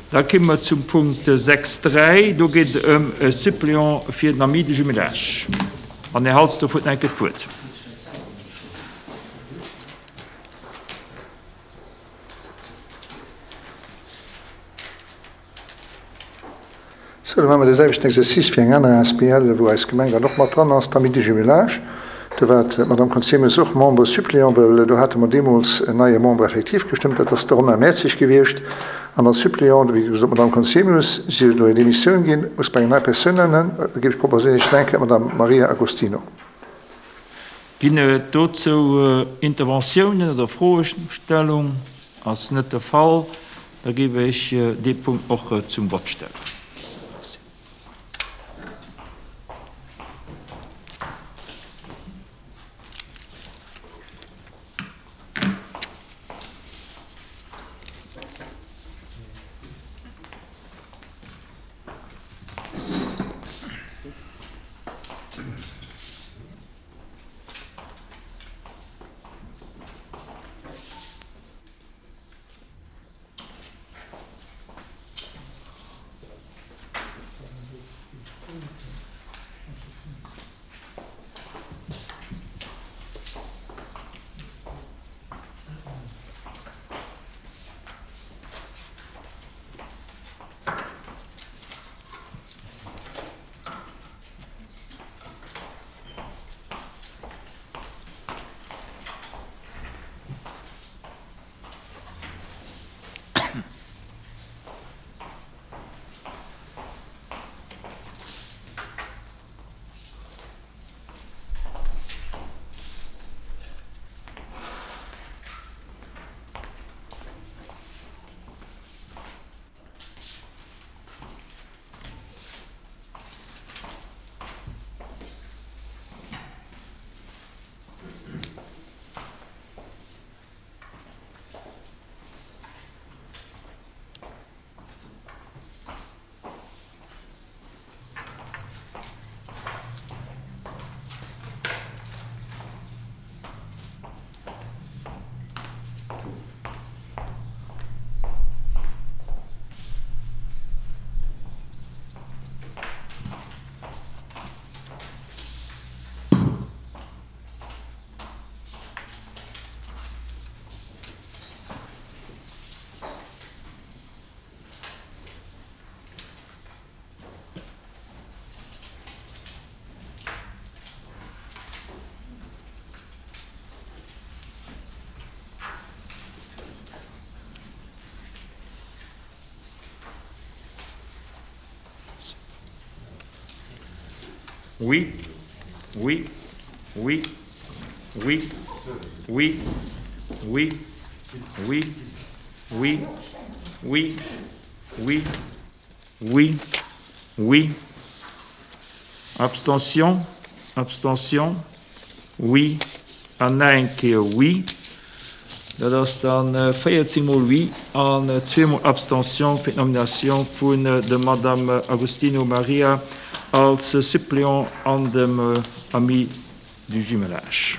Da komme mer zum Punkt 6.3. Do geet et ëm e Suppléant fir den Ami de jumelage. An Här Halsdorf huet nach eng Kéier d'Wuert. Sou, da maache mer dee selwechten Exercice fir eng aner asbl, wou eis Gemeng dann och mat dran ass, d'Amis du Jumelage. Do war d'Madame Conzemius och Membre suppléant, well do hate mer deemools en neie Membre effectif gestëmmt, dat ass de Romain Mertzig gewiescht. An als Suppléant, wéi gesot, d'Madame Conzemius, si huet elo hir Demissioun ginn, muss mer eng nei Persoun nennen. Da géif ech proposéieren, Iech eng Kéier d'Madame Maria Agostino. Ginn et dozou Interventiounen oder Froestellung? Ass net de Fall. Da géif ech dee Punkt och zum Vott stellen. Merci. Oui, oui, oui, oui, oui, oui, oui, oui, oui, oui, oui, oui. Abstention, abstention, oui an nach eng Kéier oui. Dat ass dann 14 mol oui an zweemol Abstention fir d'Nomination vun der Madame Agostino Maria als Suppléant an dem Ami du Jumelage.